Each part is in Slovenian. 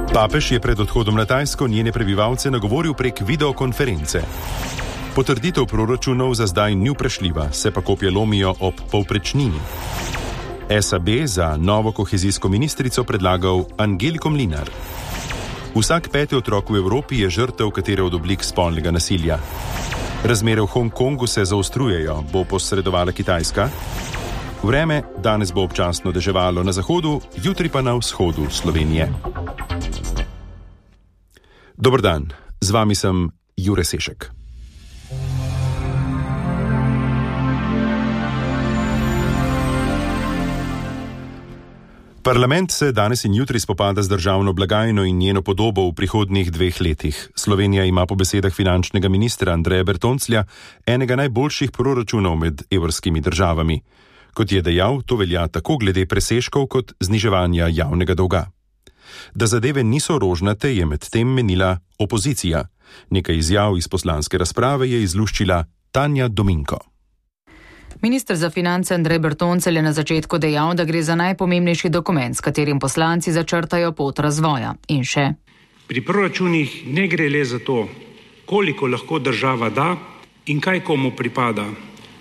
Papež je pred odhodom na Tajsko njene prebivalce nagovoril prek videokonference. Potrditev proračunov za zdaj ni vprašljiva, se pa kopje lomijo ob povprečnini. SAB za novo kohezijsko ministrico predlagal Angeliko Mlinar. Vsak 5. otrok v Evropi je žrtev katere od oblik spolnega nasilja. Razmere v Hongkongu se zaostrujejo, bo posredovala Kitajska. Vreme danes bo občasno deževalo na zahodu, jutri pa na vzhodu Slovenije. Dober dan, z vami sem Jure Sešek. Parlament se danes in jutri spopada z državno blagajno in njeno podobo v prihodnjih 2 letih. Slovenija ima po besedah finančnega ministra Andreja Bertonclja enega najboljših proračunov med evrskimi državami. Kot je dejal, to velja tako glede presežkov kot zniževanja javnega dolga. Da zadeve niso rožnate, je medtem menila opozicija. Nekaj izjav iz poslanske razprave je izluščila Tanja Dominko. Minister za finance Andrej Bertoncelj je na začetku dejal, da gre za najpomembnejši dokument, s katerim poslanci začrtajo pot razvoja. In še. Pri proračunih ne gre le za to, koliko lahko država da in kaj komu pripada,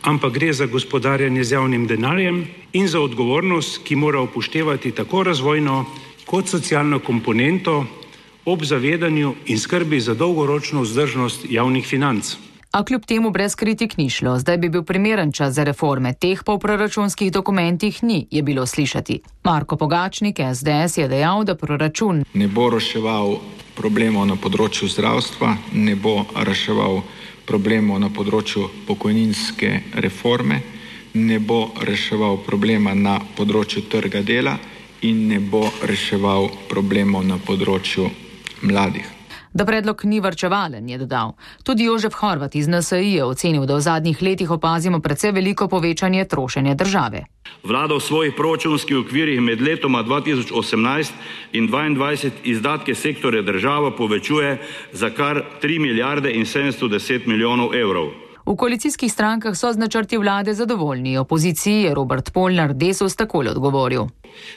ampak gre za gospodarjenje z javnim denarjem in za odgovornost, ki mora upoštevati tako razvojno kot socialno komponento ob zavedanju in skrbi za dolgoročno vzdržnost javnih financ. A kljub temu brez kritik ni šlo. Zdaj bi bil primeren čas za reforme. Teh pa v proračunskih dokumentih ni, je bilo slišati. Marko Pogačnik, SDS, je dejal, da proračun ne bo reševal problemov na področju zdravstva, ne bo reševal problemov na področju pokojninske reforme, ne bo reševal problema na področju trga dela in ne bo reševal problemov na področju mladih. Da predlog ni varčevalen, je dodal. Tudi Jožef Horvat iz NSI je ocenil, da v zadnjih letih opazimo precej veliko povečanje trošenja države. Vlada v svojih proračunskih okvirih med letoma 2018 in 2022 izdatke sektorja država povečuje za kar 3 milijarde in 710 milijonov evrov. V koalicijskih strankah so z načrti vlade zadovoljni. Opoziciji je Robert Polnar Desus takole odgovoril.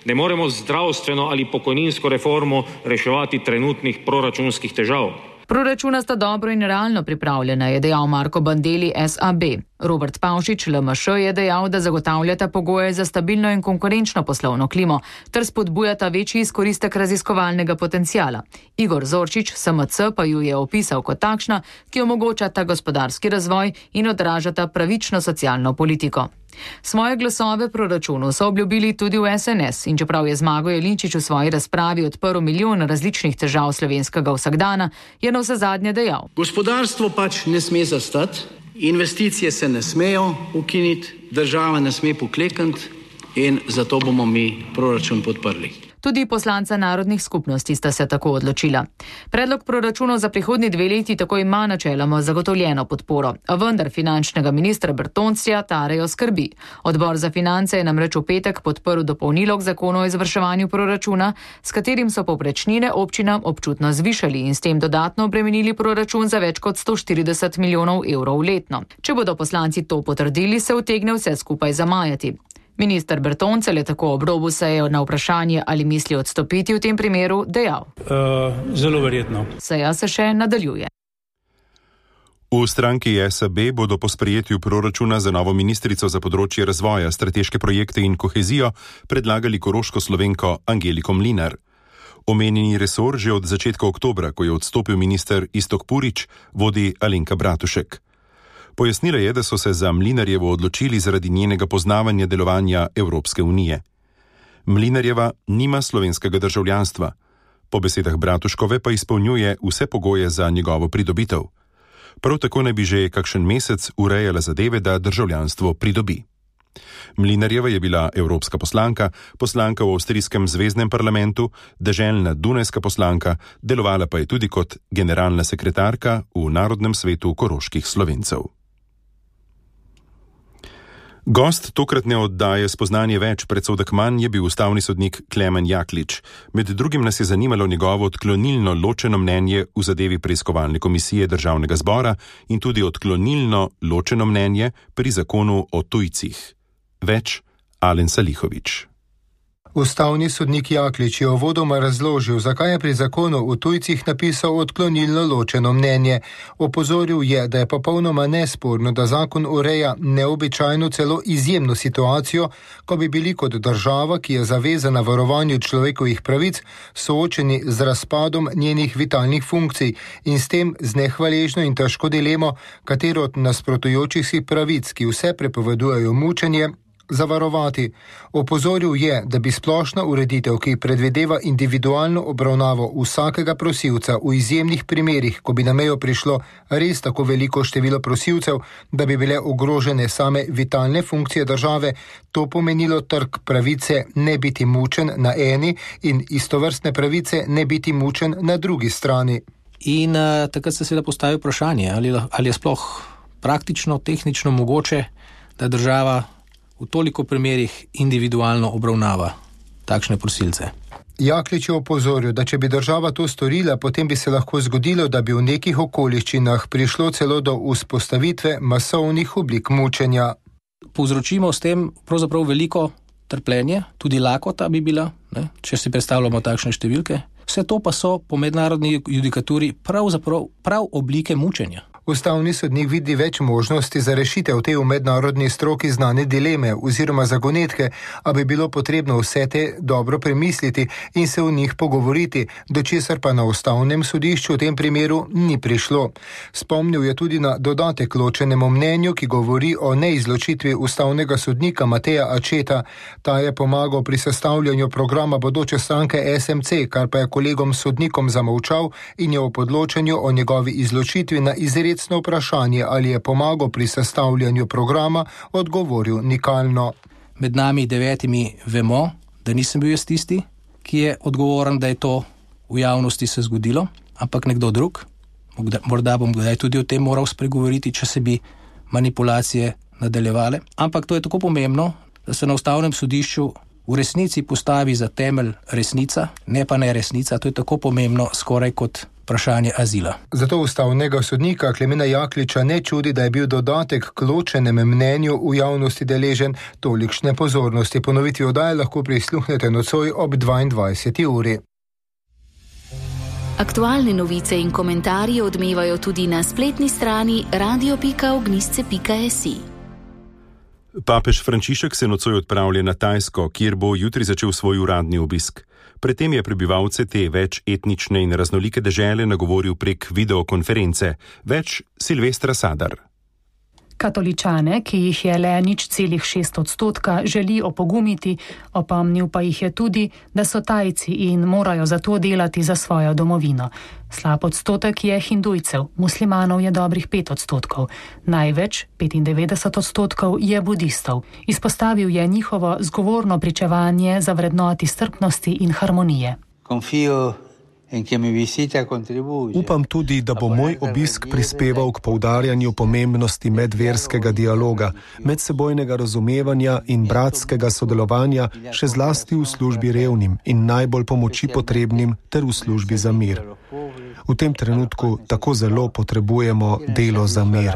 Ne moremo zdravstveno ali pokojninsko reformo reševati trenutnih proračunskih težav. Proračuna sta dobro in realno pripravljena, je dejal Marko Bandelli SAB. Robert Pavšič LMŠ je dejal, da zagotavljata pogoje za stabilno in konkurenčno poslovno klimo ter spodbujata večji izkoristek raziskovalnega potencijala. Igor Zorčič SMC pa ju je opisal kot takšna, ki omogočata gospodarski razvoj in odražata pravično socialno politiko. Svoje glasove proračunu so obljubili tudi v SNS in čeprav je Zmago Jelinčič v svoji razpravi odprl milijon različnih težav slovenskega vsakdana, je navsezadnje dejal. Gospodarstvo pač ne sme zastati, investicije se ne smejo ukiniti, država ne sme poklekniti in zato bomo mi proračun podprli. Tudi poslanca narodnih skupnosti sta se tako odločila. Predlog proračunov za prihodnji 2 leti tako ima načeloma zagotovljeno podporo, a vendar finančnega ministra Bertonclja tarejo skrbi. Odbor za finance je namreč v petek podprl dopolnilo k zakonu o izvrševanju proračuna, s katerim so povprečnine občinam občutno zvišali in s tem dodatno obremenili proračun za več kot 140 milijonov evrov letno. Če bodo poslanci to potrdili, se utegne vse skupaj zamajati. Minister Bertoncelj je tako ob robu seje na vprašanje, ali misli odstopiti v tem primeru, dejal. Zelo verjetno. Seja se še nadaljuje. V stranki SAB bodo po sprejetju proračuna za novo ministrico za področje razvoja, strateške projekte in kohezijo predlagali koroško Slovenko Angeliko Mlinar. Omenjeni resor že od začetka oktobra, ko je odstopil minister Iztok Purič, vodi Alenka Bratušek. Pojasnila je, da so se za Mlinarjevo odločili zaradi njenega poznavanja delovanja Evropske unije. Mlinarjeva nima slovenskega državljanstva. Po besedah Bratuškove pa izpolnjuje vse pogoje za njegovo pridobitev. Prav tako naj bi že kakšen mesec urejala zadeve, da državljanstvo pridobi. Mlinarjeva je bila evropska poslanka, poslanka v avstrijskem zveznem parlamentu, deželna dunajska poslanka, delovala pa je tudi kot generalna sekretarka v Narodnem svetu koroških Slovencev. Gost tokratne oddaje Spoznanje več, predsodek manj je bil ustavni sodnik Klemen Jaklič. Med drugim nas je zanimalo njegovo odklonilno ločeno mnenje v zadevi preiskovalne komisije Državnega zbora in tudi odklonilno ločeno mnenje pri zakonu o tujcih. Več Alen Salihović. Ustavni sodnik Jaklič je uvodoma razložil, zakaj je pri zakonu o tujcih napisal odklonilno ločeno mnenje. Opozoril je, da je popolnoma nesporno, da zakon ureja neobičajno, celo izjemno situacijo, ko bi bili kot država, ki je zavezana varovanju človekovih pravic, soočeni z razpadom njenih vitalnih funkcij in s tem z nehvaležno in težko dilemo, katero od nasprotujočih si pravic, ki vse prepovedujejo mučenje, zavarovati. Opozoril je, da bi splošna ureditev, ki predvideva individualno obravnavo vsakega prosilca v izjemnih primerih, ko bi na mejo prišlo res tako veliko število prosilcev, da bi bile ogrožene same vitalne funkcije države, to pomenilo trk pravice ne biti mučen na eni in istovrstne pravice ne biti mučen na drugi strani. In takrat se seveda postavi vprašanje, ali je sploh praktično, tehnično mogoče, da država v toliko primerih individualno obravnava takšne prosilce. Jaklič je opozoril, da če bi država to storila, potem bi se lahko zgodilo, da bi v nekih okoliščinah prišlo celo do vzpostavitve masovnih oblik mučenja. Povzročimo s tem pravzaprav veliko trpljenje, tudi lakota bi bila, če si predstavljamo takšne številke. Vse to pa so po mednarodni judikaturi prav oblike mučenja. Ustavni sodnik vidi več možnosti za rešitev te v mednarodni stroki znane dileme oziroma zagonetke, a bi bilo potrebno vse te dobro premisliti in se o njih pogovoriti, do česar pa na ustavnem sodišču v tem primeru ni prišlo. Spomnil je tudi na dodatek ločenemu mnenju, ki govori o neizločitvi ustavnega sodnika Mateja Ačeta. Ta je pomagal pri sestavljanju programa bodoče stranke SMC, kar pa je kolegom sodnikom zamolčal in je o podločanju o njegovi izločitvi na izredno vprašanje, ali je pomagal pri sestavljanju programa, odgovoril nikalno. Med nami 9 vemo, da nisem bil jaz tisti, ki je odgovoren, da je to v javnosti se zgodilo, ampak nekdo drug. Morda bom kdaj tudi o tem moral spregovoriti, če se bi manipulacije nadaljevale. Ampak to je tako pomembno, da se na ustavnem sodišču v resnici postavi za temelj resnica, ne pa neresnica. To je tako pomembno skoraj kot vprašanje azila. Zato ustavnega sodnika Klemena Jakliča ne čudi, da je bil dodatek k ločenem mnenju v javnosti deležen tolikšne pozornosti. Ponovitvi oddaje lahko prisluhnete nocoj ob 22. uri. Aktualne novice in komentarji odmevajo tudi na spletni strani radio.ognisce.si. Papež Frančišek se nocoj odpravlja na Tajsko, kjer bo jutri začel svoj uradni obisk. Predtem je prebivalce te več etnične in raznolike dežele nagovoril prek videokonference. Več Silvestra Sadar. Katoličane, ki jih je le 0,6%, želi opogumiti, opomnil pa jih je tudi, da so Tajci in morajo zato delati za svojo domovino. Slab odstotek je hindujcev, muslimanov je dobrih 5%, največ, 95%, je budistov. Izpostavil je njihovo zgovorno pričevanje za vrednoti strpnosti in harmonije. Upam tudi, da bo moj obisk prispeval k poudarjanju pomembnosti medverskega dialoga, medsebojnega razumevanja in bratskega sodelovanja, še zlasti v službi revnim in najbolj pomoči potrebnim ter v službi za mir. V tem trenutku tako zelo potrebujemo delo za mir.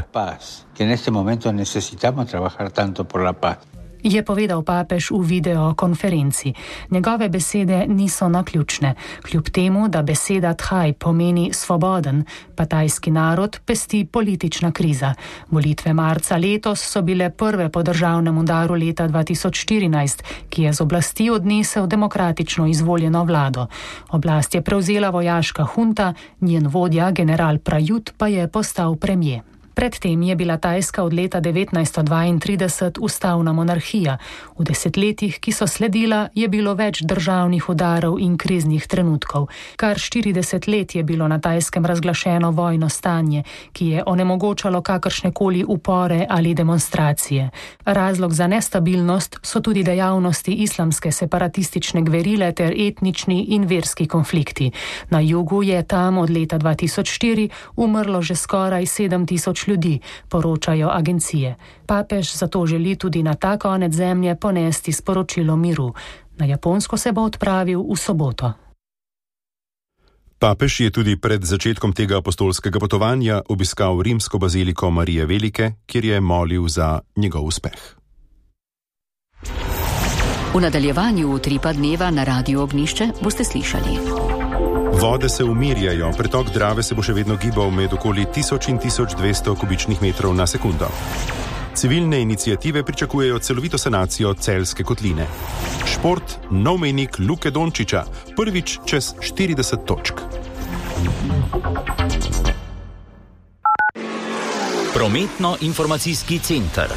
Je povedal papež v videokonferenci. Njegove besede niso naključne. Kljub temu, da beseda Thaj pomeni svoboden, pa tajski narod pesti politična kriza. Volitve marca letos so bile prve po državnem udaru leta 2014, ki je z oblasti odnesel demokratično izvoljeno vlado. Oblast je prevzela vojaška hunta, njen vodja, general Prayut, pa je postal premier. Predtem je bila Tajska od leta 1932 ustavna monarhija. V desetletjih, ki so sledila, je bilo več državnih udarov in kriznih trenutkov. Kar 40 let je bilo na Tajskem razglašeno vojno stanje, ki je onemogočalo kakršnekoli upore ali demonstracije. Razlog za nestabilnost so tudi dejavnosti islamske separatistične gverile ter etnični in verski konflikti. Na jugu je tam od leta 2004 umrlo že skoraj 7.000 ljudi, poročajo agencije. Papež zato želi tudi na ta konec zemlje ponesti sporočilo miru. Na Japonsko se bo odpravil v soboto. Papež je tudi pred začetkom tega apostolskega potovanja obiskal rimsko baziliko Marije Velike, kjer je molil za njegov uspeh. V nadaljevanju Utripa dneva na Radiu Ognjišče boste slišali. Vode se umirjajo, pretok Drave se bo še vedno gibal med okoli 1000 in 1200 kubičnih metrov na sekundo. Civilne iniciative pričakujejo celovito sanacijo Celjske kotline. Šport, nov mejnik Luke Dončiča, prvič čez 40 točk. Prometno-informacijski center.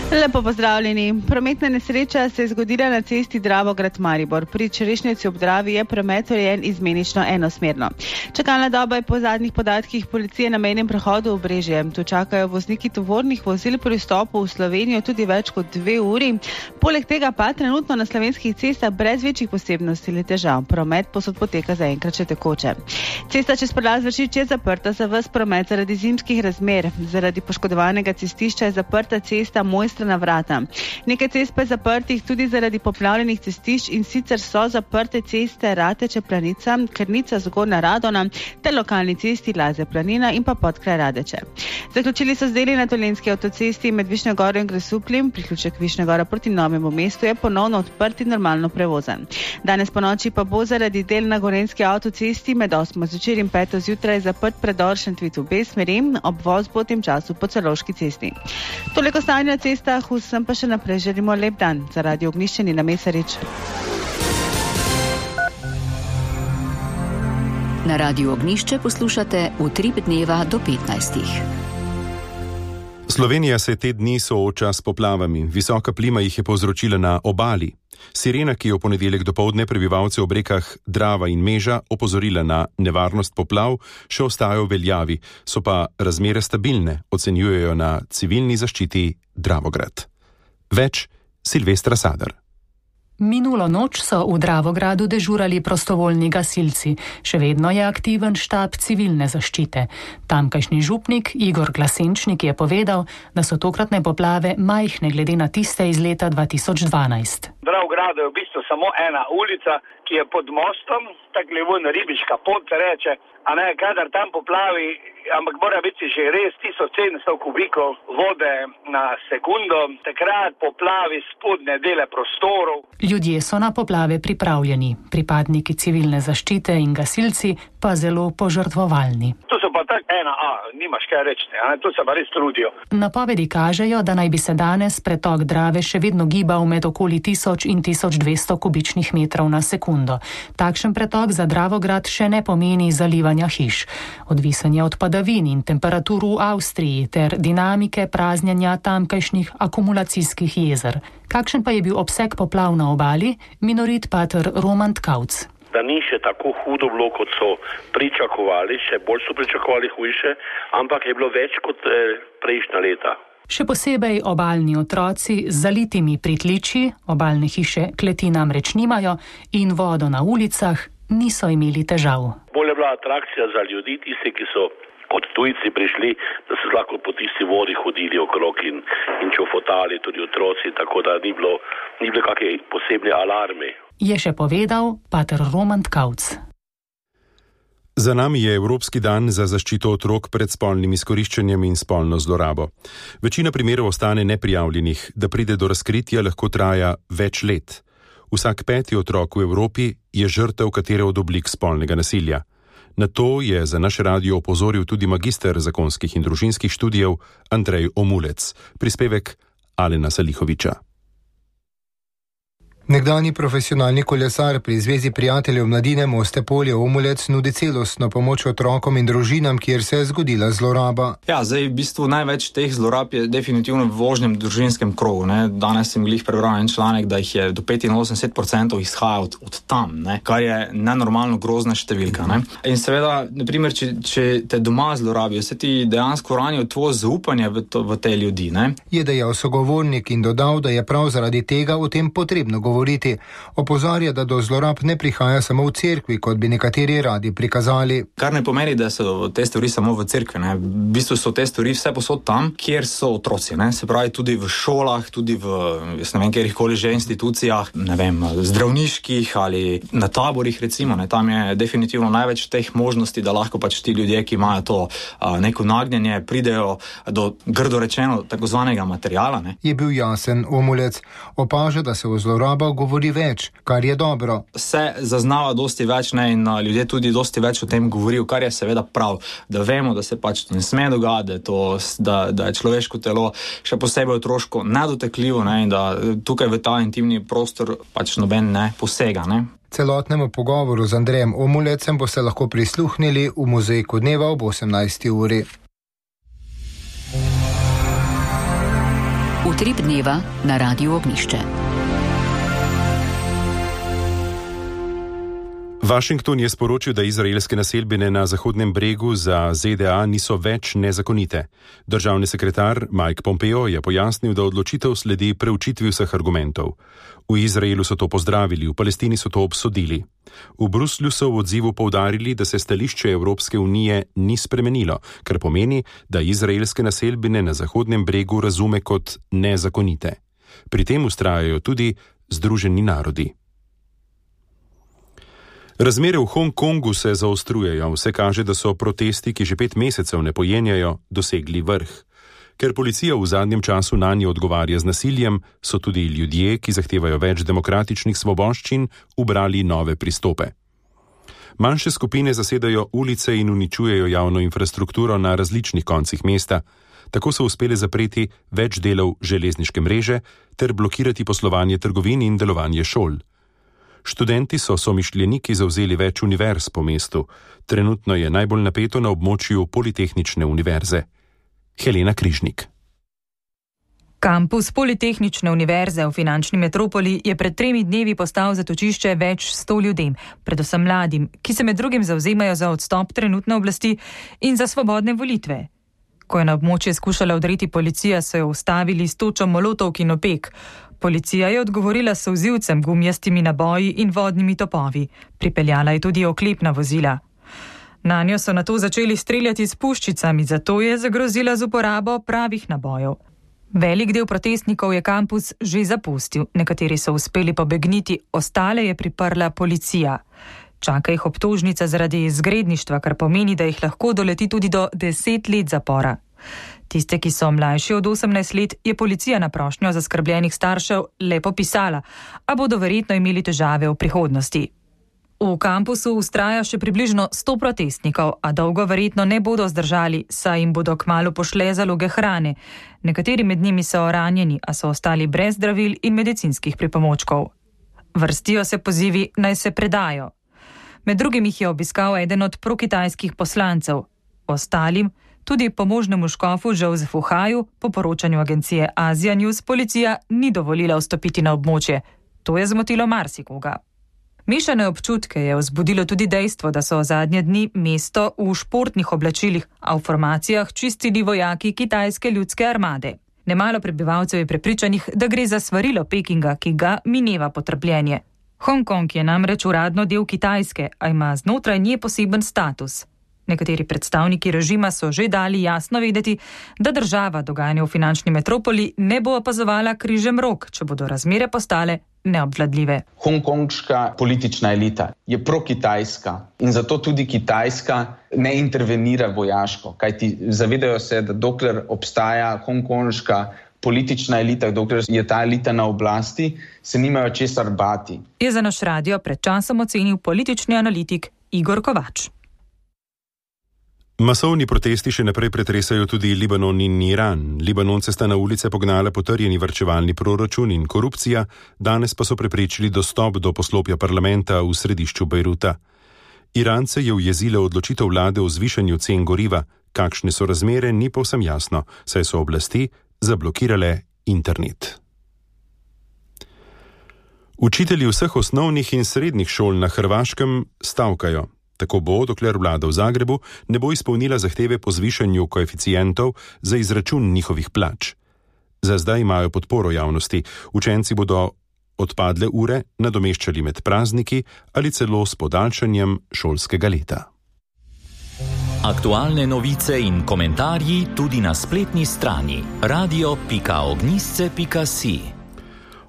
Lepo pozdravljeni. Prometna nesreča se je zgodila na cesti Dravograd-Maribor. Pri Čerešnici ob Dravi je promet urejen izmenično enosmerno. Čakalna doba je po zadnjih podatkih policije na mejnem prehodu Obrežje. Tu čakajo vozniki tovornih vozil pri vstopu v Slovenijo tudi več kot 2 uri. Poleg tega pa trenutno na slovenskih cestah brez večjih posebnosti ali težav. Promet posod poteka zaenkrat še tekoče. Cesta čez prelaz Vršič je zaprta za ves promet zaradi zimskih razmer. Zaradi poškodovanega cestišča je zaprta cesta Mojstrana vrata. Nekaj cest pa je zaprtih tudi zaradi poplavljenih cestišč, in sicer so zaprte ceste Rateče Planica, Krnica Zgornja Radona ter lokalni cesti Lazja Planina in pa Podkraj Radeče. Zaključili so z deli na Dolenjski avtocesti med Višnjo Goro in Grosupljem. Priključek Višnja Gora proti Novemu mestu je ponovno odprt in normalno prevozan. Danes ponoči pa bo zaradi del na Gorenjski avtocesti med 8. zvečer in 5. zjutraj zaprt predor Šentvid v obe smeri, obvoz bo v tem času po Celovški cesti. Toliko stanja na cestah, vsem pa še naprej želimo lep dan. Za Radio Ognjišče Nina Mesarič. Na Radiu Ognjišče poslušate Utrip dneva do 15. Slovenija se te dni sooča s poplavami. Visoka plima jih je povzročila na obali. Sirena, ki je v ponedeljek dopoldne prebivalce ob rekah Drava in Meža opozorila na nevarnost poplav, še ostajajo v veljavi, so pa razmere stabilne, ocenjujejo na civilni zaščiti Dravograd. Več Silvestra Sadar. Minulo noč so v Dravogradu dežurali prostovoljni gasilci. Še vedno je aktiven štab civilne zaščite. Tamkajšnji župnik Igor Glasenčnik je povedal, da so tokratne poplave majhne glede na tiste iz leta 2012. Dravogradu je v bistvu samo ena ulica, ki je pod mostom, tako levo ribiška pot se reče, a ne, kadar tam poplavi, ampak mora biti že res 1700 kubikov vode na sekundo, takrat poplavi spodnje dele prostorov. Ljudje so na poplave pripravljeni, pripadniki civilne zaščite in gasilci pa zelo požrtvovalni. Tu so pa tak nimaš kaj reči, tu se pa res trudijo. Napovedi kažejo, da naj bi se danes pretok Drave še vedno gibal med okoli 1000 in 1200 kubičnih metrov na sekundo. Takšen pretok za Dravograd še ne pomeni zalivanja hiš. Odvisen je od padavin in temperatur v Avstriji ter dinamike praznjenja tamkajšnjih akumulacijskih jezer. Kakšen pa je bil obseg poplav na obali? Minorit pater Roman Tkauc. Da ni še tako hudo bilo, kot so pričakovali, še bolj so pričakovali hujše, ampak je bilo več kot prejšnja leta. Še posebej obalni otroci z zalitimi pritličji, obalne hiše kleti namreč nimajo in vodo na ulicah niso imeli težav. Bolj je bila atrakcija za ljudi, tisti, ki so kot tujci prišli, da so lahko po tisti vodi hodili okrog in čofotali tudi otroci, tako da ni bilo kakšne posebne alarme. Je še povedal pater Roman Tkauc. Za nami je Evropski dan za zaščito otrok pred spolnim izkoriščanjem in spolno zlorabo. Večina primerov ostane neprijavljenih, da pride do razkritja lahko traja več let. Vsak 5. otrok v Evropi je žrtev katere od oblik spolnega nasilja. Na to je za naš radio opozoril tudi magister zakonskih in družinskih študijev Andrej Omulec. Prispevek Alena Salihoviča. Nekdanji profesionalni kolesar pri Zvezi prijateljev mladine Moste Polje Omulec nudi celostno pomoč otrokom in družinam, kjer se je zgodila zloraba. Ja, zdaj v bistvu največ teh zlorab je definitivno v vožnjem družinskem krogu. Danes sem glih prebral en članek, da jih je do 85% izhaja od tam, kar je nenormalno grozna številka. In seveda, naprimer, če te doma zlorabijo, se ti dejansko ranijo tvoje zaupanje v te ljudi. Je dejal sogovornik in dodal, da je prav zaradi tega o tem potrebno govoriti govoriti. Opozarja, da do zlorab ne prihaja samo v cerkvi, kot bi nekateri radi prikazali. Kar ne pomeni, da so te stvari samo v cerkvi. Ne. V bistvu so te stvari vse posod tam, kjer so otroci. Ne. Se pravi tudi v šolah, tudi v, jaz ne vem, kjerkoli že institucijah, ne vem, zdravniških ali na taborih recimo. Ne. Tam je definitivno največ teh možnosti, da lahko pač ti ljudje, ki imajo to neko nagnjenje, pridejo do, grdo rečeno, takozvanega materiala. Ne. Je bil jasen Omulec. Opaža, da se o zlorabah govori več, kar je dobro. Se zaznava dosti več, ne, in ljudje tudi dosti več o tem govorijo, kar je seveda prav, da vemo, da se pač ne sme dogajati, da je človeško telo še posebej otroško nedotekljivo, ne, in da tukaj v ta intimni prostor pač noben ne posega. Ne. Celotnemu pogovoru z Andrejem Omulecem boste lahko prisluhnili v Mozaiku dneva ob 18. uri. Utrip dneva na Radiu Ognjišče. Washington je sporočil, da izraelske naselbine na Zahodnem bregu za ZDA niso več nezakonite. Državni sekretar Mike Pompeo je pojasnil, da odločitev sledi preučitvi vseh argumentov. V Izraelu so to pozdravili, v Palestini so to obsodili. V Bruslju so v odzivu poudarili, da se stališče Evropske unije ni spremenilo, kar pomeni, da izraelske naselbine na Zahodnem bregu razume kot nezakonite. Pri tem vztrajajo tudi Združeni narodi. Razmere v Hongkongu se zaostrujejo. Vse kaže, da so protesti, ki že 5 mesecev ne pojenjajo, dosegli vrh. Ker policija v zadnjem času nanje odgovarja z nasiljem, so tudi ljudje, ki zahtevajo več demokratičnih svoboščin, ubrali nove pristope. Manjše skupine zasedajo ulice in uničujejo javno infrastrukturo na različnih koncih mesta. Tako so uspeli zapreti več delov železniške mreže ter blokirati poslovanje trgovin in delovanje šol. Študenti so somišljeniki zavzeli več univerz po mestu. Trenutno je najbolj napeto na območju Politehnične univerze. Helena Križnik. Kampus Politehnične univerze v finančni metropoli je pred 3 dnevi postal zatočišče več 100 ljudem, predvsem mladim, ki se med drugim zavzemajo za odstop trenutne oblasti in za svobodne volitve. Ko je na območje skušala vdreti policija, so jo ustavili s točo molotovk in opek. Policija je odgovorila s solzivcem, gumijastimi naboji in vodnimi topovi. Pripeljala je tudi oklepna vozila. Nanjo so nato začeli streljati s puščicami, zato je zagrozila z uporabo pravih nabojev. Velik del protestnikov je kampus že zapustil, nekateri so uspeli pobegniti, ostale je priprla policija. Čaka jih obtožnica zaradi izgredništva, kar pomeni, da jih lahko doleti tudi do 10 let zapora. Tiste, ki so mlajši od 18 let, je policija na prošnjo zaskrbljenih staršev le popisala, a bodo verjetno imeli težave v prihodnosti. V kampusu vztraja še približno 100 protestnikov, a dolgo verjetno ne bodo zdržali, saj jim bodo kmalu pošle zaloge hrane. Nekateri med njimi so ranjeni, a so ostali brez zdravil in medicinskih pripomočkov. Vrstijo se pozivi, naj se predajo. Med drugim jih je obiskal eden od prokitajskih poslancev. Ostalim, tudi pomožnemu škofu Josefu Haju, po poročanju agencije Asia News, policija ni dovolila vstopiti na območje. To je zmotilo marsikoga. Mešane občutke je vzbudilo tudi dejstvo, da so zadnje dni mesto v športnih oblačilih, a v formacijah čistili vojaki kitajske ljudske armade. Nemalo prebivalcev je prepričanih, da gre za svarilo Pekinga, ki ga mineva potrpljenje. Hongkong je namreč uradno del Kitajske, a ima znotraj nje poseben status. Nekateri predstavniki režima so že dali jasno vedeti, da država dogajanje v finančni metropoli ne bo opazovala križem rok, če bodo razmere postale neobvladljive. Hongkonška politična elita je prokitajska in zato tudi Kitajska ne intervenira vojaško, kajti zavedajo se, da dokler obstaja hongkonška politična elita, dokler je ta elita na oblasti, se nimajo česar bati. Je za naš radio pred časom ocenil politični analitik Igor Kovač. Masovni protesti še naprej pretresajo tudi Libanon in Iran. Libanonce sta na ulice pognale potrjeni varčevalni proračun in korupcija, danes pa so preprečili dostop do poslopja parlamenta v središču Bejruta. Irance je ujezila odločitev vlade o zvišanju cen goriva. Kakšne so razmere, ni povsem jasno, saj so oblasti zablokirale internet. Učitelji vseh osnovnih in srednjih šol na Hrvaškem stavkajo. Tako bo, dokler vlada v Zagrebu ne bo izpolnila zahteve po zvišanju koeficientov za izračun njihovih plač. Za zdaj imajo podporo javnosti. Učenci bodo odpadle ure nadomeščali med prazniki ali celo s podaljšanjem šolskega leta. Aktualne novice in komentarji tudi na spletni strani radio.ognisce.si.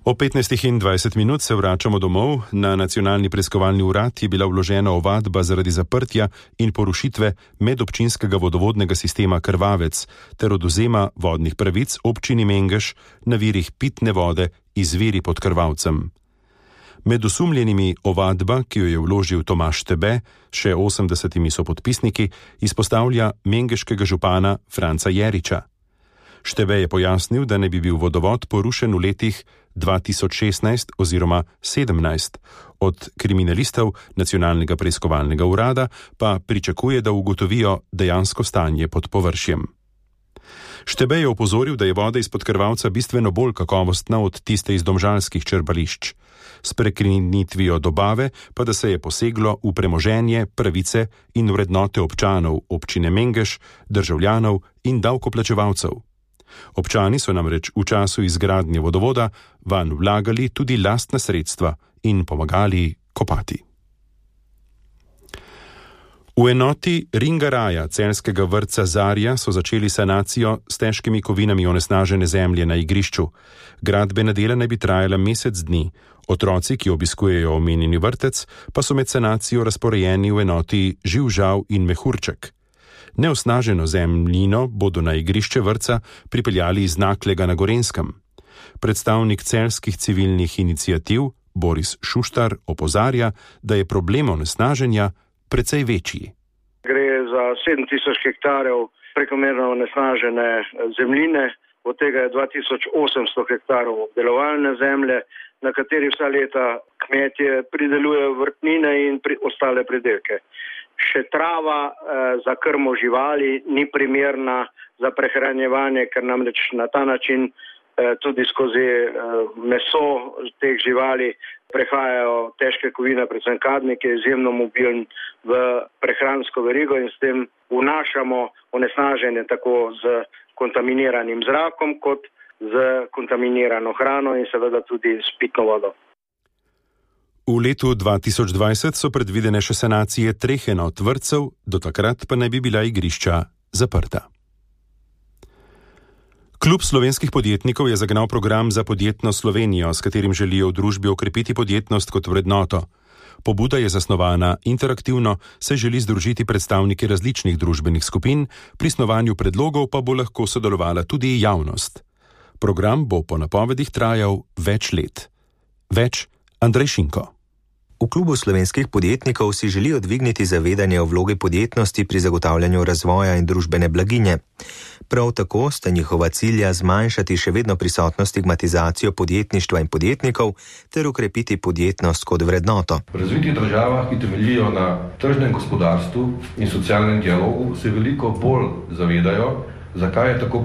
O 15:20 se vračamo domov. Na Nacionalni preiskovalni urad je bila vložena ovadba zaradi zaprtja in porušitve medobčinskega vodovodnega sistema Krvavec ter odvzema vodnih pravic občini Mengeš na virih pitne vode iz viri pod Krvavcem. Med osumljenimi ovadba, ki jo je vložil Tomaž Štebe, še 80 sopodpisniki, izpostavlja mengeškega župana Franca Jeriča. Štebe je pojasnil, da ne bi bil vodovod porušen v letih 2016 oziroma 2017. Od kriminalistov Nacionalnega preiskovalnega urada pa pričakuje, da ugotovijo dejansko stanje pod površjem. Štebe je opozoril, da je voda izpod Krvavca bistveno bolj kakovostna od tiste iz domžalskih črpališč. S prekinitvijo dobave pa da se je poseglo v premoženje, pravice in vrednote občanov občine Mengeš, državljanov in davkoplačevalcev. Občani so namreč v času izgradnje vodovoda vanj vlagali tudi lastna sredstva in pomagali kopati. V enoti Ringaraja celjskega vrtca Zarja so začeli sanacijo s težkimi kovinami onesnažene zemlje na igrišču. Gradbena dela naj bi trajala mesec dni. Otroci, ki obiskujejo omenjeni vrtec, pa so med sanacijo razporejeni v enoti Živžav in Mehurček. Neosnaženo zemljino bodo na igrišče vrtca pripeljali iz Naklega na Gorenjskem. Predstavnik celjskih civilnih iniciativ Boris Šuštar opozarja, da je problem onesnaženja precej večji. Gre za 7000 hektarjev prekomerno onesnažene zemljine, od tega je 2800 hektarov obdelovalne zemlje, na kateri vsa leta kmetje pridelujejo vrtnine in ostale pridelke. Še trava za krmo živali ni primerna za prehranjevanje, ker namreč na ta način tudi skozi meso teh živali prehajajo težke kovine, predvsem kadmik, ki je izjemno mobilen v prehransko verigo in s tem vnašamo onesnaženje tako z kontaminiranim zrakom kot z kontaminirano hrano in seveda tudi s pitno vodo. V letu 2020 so predvidene še sanacije 3 enot vrtcev, do takrat pa naj bi bila igrišča zaprta. Klub slovenskih podjetnikov je zagnal program za podjetno Slovenijo, s katerim želijo v družbi okrepiti podjetnost kot vrednoto. Pobuda je zasnovana interaktivno, se želi združiti predstavniki različnih družbenih skupin, pri snovanju predlogov pa bo lahko sodelovala tudi javnost. Program bo po napovedih trajal več let. Več Andrej Šinko. V klubu slovenskih podjetnikov si želijo dvigniti zavedanje o vlogi podjetnosti pri zagotavljanju razvoja in družbene blaginje. Prav tako sta njihova cilja zmanjšati še vedno prisotno stigmatizacijo podjetništva in podjetnikov ter ukrepiti podjetnost kot vrednoto. V razvitih državah, ki temeljijo na tržnem gospodarstvu in socialnem dialogu, se veliko bolj zavedajo, zakaj je tako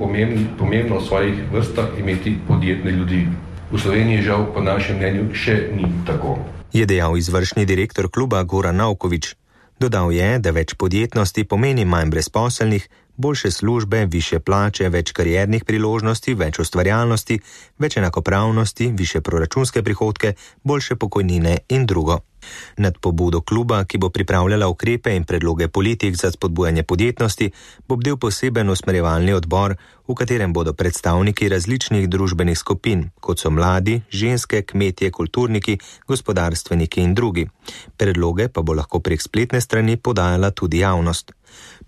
pomembno v svojih vrstah imeti podjetne ljudi. V Sloveniji žal po našem mnenju še ni tako. Je dejal izvršni direktor kluba Goran Naukovič. Dodal je, da več podjetnosti pomeni manj brezposelnih, boljše službe, više plače, več kariernih priložnosti, več ustvarjalnosti, več enakopravnosti, više proračunske prihodke, boljše pokojnine in drugo. Nad pobudo kluba, ki bo pripravljala ukrepe in predloge politik za spodbujanje podjetnosti, bo bdel poseben usmerjevalni odbor, v katerem bodo predstavniki različnih družbenih skupin, kot so mladi, ženske, kmetje, kulturniki, gospodarstveniki in drugi. Predloge pa bo lahko prek spletne strani podajala tudi javnost.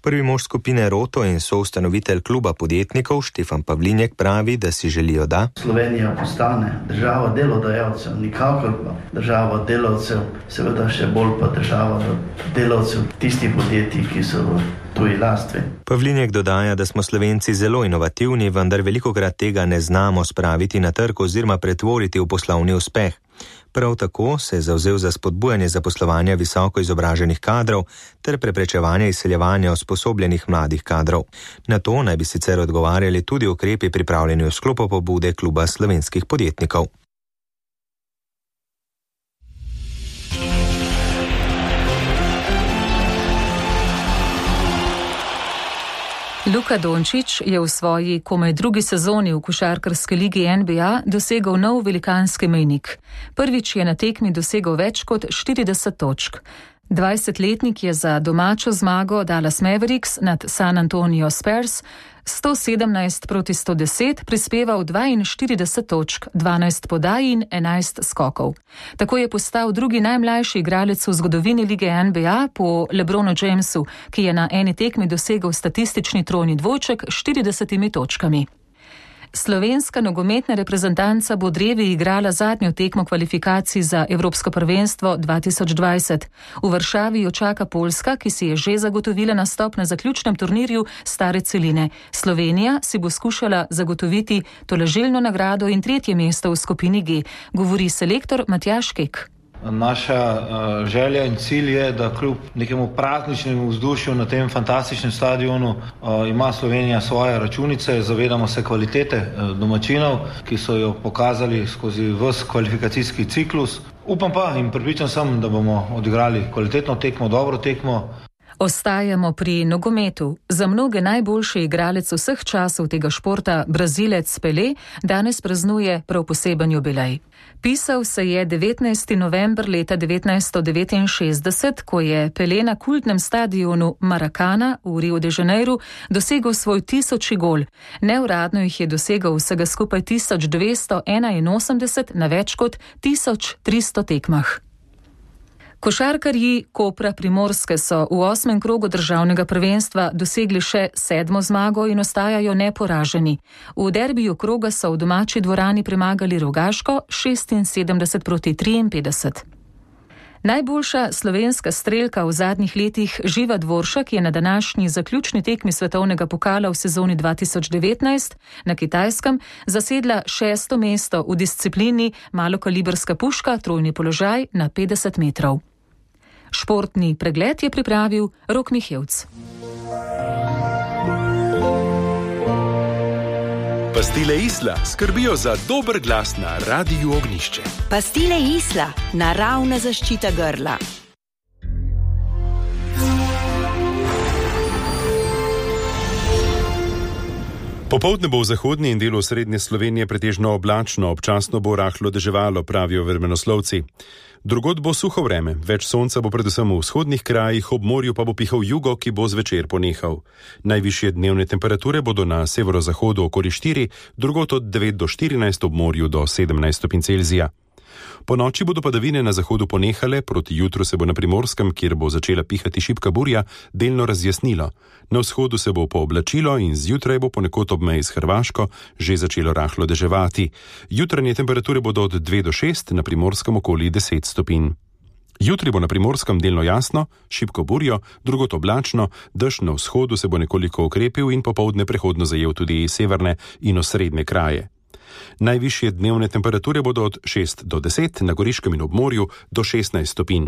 Prvi mož skupine Roto in soustanovitelj kluba podjetnikov Štefan Pavlinjek pravi, da si želijo, da Slovenija postane država delodajalcev, nikakor pa država delavcev, seveda še bolj pa država delavcev tistih podjetij, ki so v tuji lasti. Pavlinjek dodaja, da smo Slovenci zelo inovativni, vendar velikokrat tega ne znamo spraviti na trg oziroma pretvoriti v poslovni uspeh. Prav tako se je zavzel za spodbujanje zaposlovanja visoko izobraženih kadrov ter preprečevanje izseljevanja usposobljenih mladih kadrov. Na to naj bi sicer odgovarjali tudi ukrepi pripravljeni v sklopu pobude kluba slovenskih podjetnikov. Luka Dončić je v svoji komaj drugi sezoni v košarkarski ligi NBA dosegel nov velikanski mejnik. Prvič je na tekmi dosegel več kot 40 točk. 20-letnik je za domačo zmago Dallas Mavericks nad San Antonio Spurs 117-110 prispeval 42 točk, 12 podaj in 11 skokov. Tako je postal drugi najmlajši igralec v zgodovini lige NBA po LeBronu Jamesu, ki je na eni tekmi dosegel statistični trojni dvojček s 40 točkami. Slovenska nogometna reprezentanca bo drevi igrala zadnjo tekmo kvalifikacij za Evropsko prvenstvo 2020. V Varšavi jo čaka Poljska, ki si je že zagotovila nastop na zaključnem turnirju stare celine. Slovenija si bo skušala zagotoviti tolažilno nagrado in 3. mesto v skupini G, govori selektor Matjaž Kek. Naša želja in cilj je, da kljub nekemu prazničnemu vzdušju na tem fantastičnem stadionu ima Slovenija svoje računice, zavedamo se kvalitete domačinov, ki so jo pokazali skozi ves kvalifikacijski ciklus. Upam pa in prepričan sem, da bomo odigrali kvalitetno tekmo, dobro tekmo. Ostajamo pri nogometu. Za mnoge najboljši igralec vseh časov tega športa, Brazilec Pelé, danes praznuje prav poseben jubilej. Pisal se je 19. november leta 1969, ko je Pelé na kultnem stadionu Maracana v Rio de Janeiro dosegel svoj 1000. gol. Neuradno jih je dosegel vsega skupaj 1281 na več kot 1300 tekmah. Košarkarji Kopra Primorske so v 8. krogu državnega prvenstva dosegli še 7. zmago in ostajajo neporaženi. V derbiju kroga so v domači dvorani premagali Rogaško 76-53. Najboljša slovenska strelka v zadnjih letih Živa Dvoršak je na današnji zaključni tekmi svetovnega pokala v sezoni 2019 na Kitajskem zasedla 6. mesto v disciplini malokalibrska puška, trojni položaj na 50 metrov. Športni pregled je pripravil Rok Mihevc. Pastile Isla skrbijo za dober glas na Radiu Ognišče. Pastile Isla, naravna zaščita grla. Popoldne bo v zahodni in delu srednje Slovenije pretežno oblačno, občasno bo rahlo deževalo, pravijo vremenoslovci. Drugod bo suho vreme, več sonca bo predvsem v vzhodnih krajih, ob morju pa bo pihal jugo, ki bo zvečer ponehal. Najvišje dnevne temperature bodo na severozahodu okoli 4, drugod od 9 do 14, ob morju do 17 stopinj Celzija. Po noči bodo padavine na zahodu ponehale, proti jutru se bo na Primorskem, kjer bo začela pihati šibka burja, delno razjasnilo. Na vzhodu se bo pooblačilo in zjutraj bo ponekod ob meji s Hrvaško že začelo rahlo deževati. Jutranje temperature bodo od 2 do 6, na Primorskem okoli 10 stopinj. Jutri bo na Primorskem delno jasno, šibko burjo, drugod oblačno, dež na vzhodu se bo nekoliko okrepil in popoldne prehodno zajel tudi severne in osrednje kraje. Najvišje dnevne temperature bodo od 6 do 10, na Goriškem in ob morju do 16 stopinj.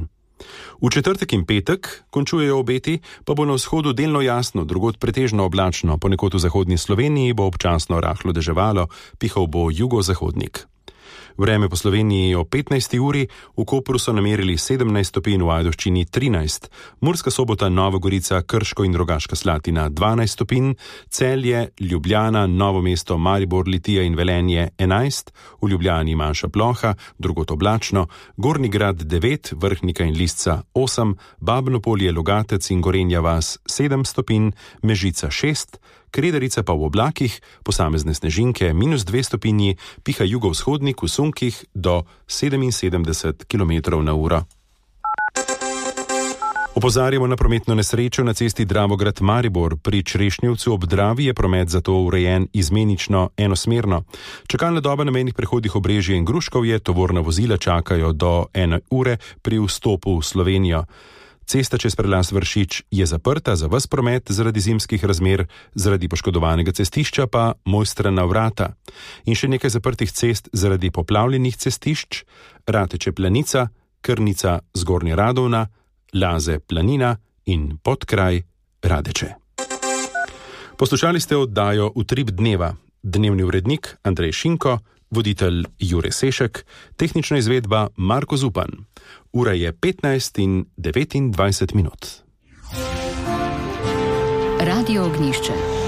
V četrtek in petek, končujejo obeti, pa bo na vzhodu delno jasno, drugod pretežno oblačno, ponekod v zahodni Sloveniji bo občasno rahlo deževalo, pihal bo jugozahodnik. Vreme po Sloveniji o 15. uri, v Kopru so namerili 17 stopinj, v Ajdovščini 13, Murska Sobota, Nova Gorica, Krško in Rogaška Slatina 12 stopinj, Celje, Ljubljana, Novo mesto, Maribor, Litija in Velenje 11, v Ljubljani manjša ploha, drugod oblačno, Gornji Grad 9, Vrhnika in Lisca 8, Babno Polje, Logatec in Gorenja vas 7 stopinj, Mežica 6, Kredarica pa v oblakih, posamezne snežinke -2 stopinji, piha jugovzhodnik v sunkih do 77 km/h. Opozarjamo na prometno nesrečo na cesti Dravograd-Maribor. Pri Črešnjevcu ob Dravi je promet zato urejen izmenično enosmerno. Čakalna doba na mejnih prehodih Obrežje in Gruškovje, tovorna vozila čakajo do 1 ure pri vstopu v Slovenijo. Cesta čez prelaz Vršič je zaprta za ves promet zaradi zimskih razmer, zaradi poškodovanega cestišča pa Mojstrana vrata. In še nekaj zaprtih cest zaradi poplavljenih cestišč: Rateče Planica, Krnica Zgornja Radovna, Laze Planina in Podkraj Radeče. Poslušali ste oddajo Utrip dneva. Dnevni urednik Andrej Šinko, voditelj Jure Sešek, tehnična izvedba Marko Zupan. Ura je 15:29. Radio Ognišče.